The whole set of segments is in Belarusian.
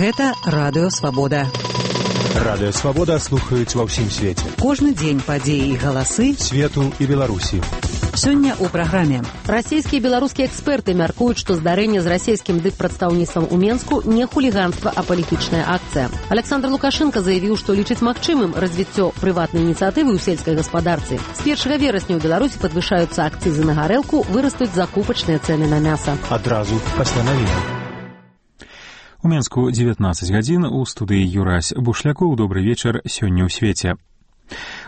Гэта Радыё Свабода. Радыё Свабода слухаюць ва ўсім свеце. Кожны дзень падзеі і галасы свету і Беларусі. Сёння ў праграме. Расійскія і беларускія эксперты мяркуюць, што здарэнне з расійскім дыппрадстаўніцтвам у Менску не хуліганства, а палітычная акцыя. Александр Лукашенко заявіў, што лічыць магчымым развіццё прыватнай ініцыятывы ў сельскай гаспадарцы. З 1 верасня ў Беларусі падвышаюцца акцызы на гарэлку, вырастуць закупачныя цэны на мяса. Адразу пасля навіны. У Менску 19 гадзін, у студыі Юрась Бушлякоў. Добры вечар сёння ў свеце.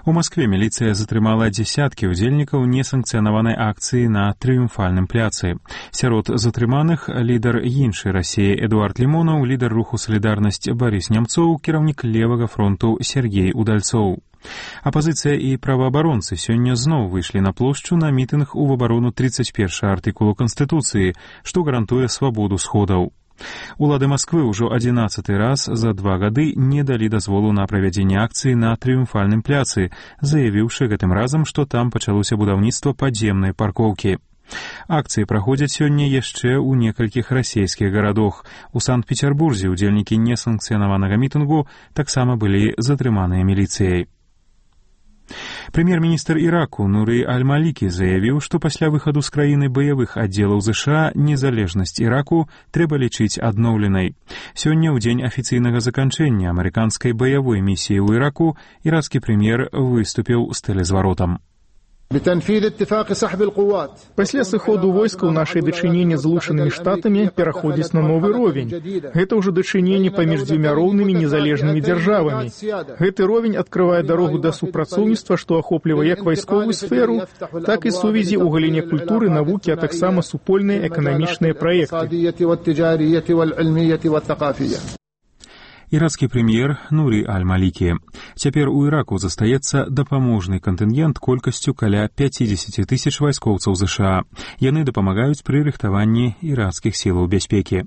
У Маскве міліцыя затрымала дзесяткі ўдзельнікаў несанкцыянаванай акцыі на Трыумфальным пляцы. Сярод затрыманых лідар іншай Расіі Эдуард Лімонаў, лідар руху «Салідарнасць» Барыс Нямцоў, кіраўнік левага фронту Сергей Удальцоў. Апазіцыя і праваабаронцы сёння зноў выйшлі на плошчу на мітынг у абарону 31 артыкулу Канстытуцыі, што гарантуе свабоду сходаў. Улады Масквы ўжо 11 раз за 2 гады не далі дазволу на правядзенне акцыі на Трыумфальным пляцы, заявіўшы гэтым разам, што там пачалося будаўніцтва падземнай паркоўкі. Акцыі праходзяць сёння яшчэ ў некалькіх расійскіх гарадах. У Санкт-Петербурзе ўдзельнікі несанкцыянаванага мітынгу таксама былі затрыманыя міліцыяй. Прэм'ер-міністр Іраку Нуры Аль-Малікі заявіў, што пасля выхаду з краіны баявых аддзелаў ЗША незалежнасць Іраку трэба лічыць адноўленай. Сёння, ў дзень афіцыйнага заканчэння амерыканскай баявой місіі ў Іраку, ірацкі прэм'ер выступіў з тэлезваротам. Пасля сыходу войскаў нашае дачыненне з Злучанымі Штатамі пераходзіць на новы ровень. Гэта ўжо дачыненне паміж дзвюма роўнымі незалежнымі дзяржавамі. Гэты ровень адкрывае дарогу да супрацоўніцтва, што ахоплівае як вайсковую сферу, так і сувязі ў галіне культуры, навукі, а таксама супольныя эканамічныя праекты. Ірацкі прэм'ер Нуры Аль-Малікі. Цяпер у Іраку застаецца дапаможны кантынгент колькасцю каля 50 000 вайскоўцаў ЗША. Яны дапамагаюць пры рыхтаванні ірацкіх сілаў бяспекі.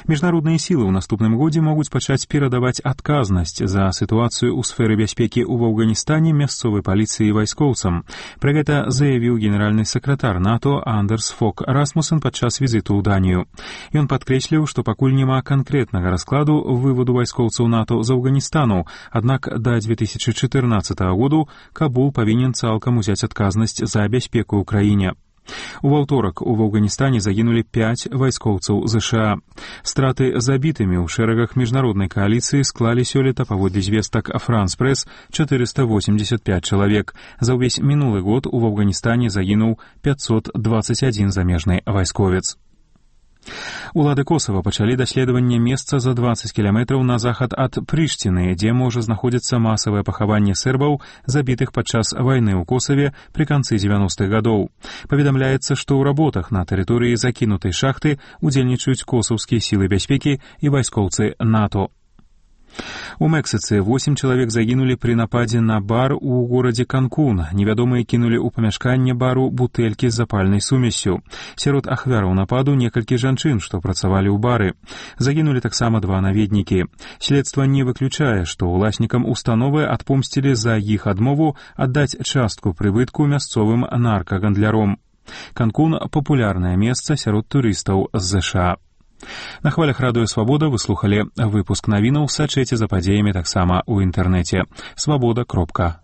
Міжнародныя сілы ў наступным годзе могуць пачаць перадаваць адказнасць за сітуацыю ў сферы бяспекі ў Афганістане мясцовай паліцыі і вайскоўцам. Пра гэта заявіў генеральны сакратар НАТО Андерс Фок Расмусен падчас візіту ў Данію. Ён падкрэсліў, што пакуль няма канкрэтнага раскладу выводу вайскоўцаў НАТО з Афганістану, аднак да 2014 году Кабул павінен цалкам узяць адказнасць за бяспеку ў краіне. У аўторак у Афганістане загінулі 5 вайскоўцаў ЗША. Страты забітымі ў шэрагах міжнароднай кааліцыі склалі сёлета, паводле звестак Франс Прэс, 485 чалавек. За ўвесь мінулы год у Афганістане загінуў 521 замежны вайсковец. Улады Косава пачалі даследаванне месца за 20 кіламетраў на захад ад Прыштіны, дзе можа знаходзіцца масавае пахаванне сербаў, забітых падчас вайны ў Косаве пры канцы 90-х гадоў. Паведамляецца, што ў работах на тэрыторыі закінутай шахты удзельнічаюць косаўскія сілы бяспекі і вайскоўцы НАТО. У Мексіцы 8 чалавек загінулі пры нападзе на бар у горадзе Канкун. Невядомыя кінулі ў памяшканне бару бутэлькі з запальнай сумессю. Сярод ахвяраў нападу некалькі жанчын, што працавалі ў бары. Загінулі таксама 2 наведнікі. Следства не выключае, што ўласнікам установы адпомсцілі за іх адмову аддаць частку прыбытку мясцовым наркагандляром. Канкун – папулярнае месца сярод турыстаў з ЗША. На хвалях Радыё Свабода вы слухалі выпуск навінаў, сачыце за падзеямі таксама ў інтэрнэце. Свабода.орг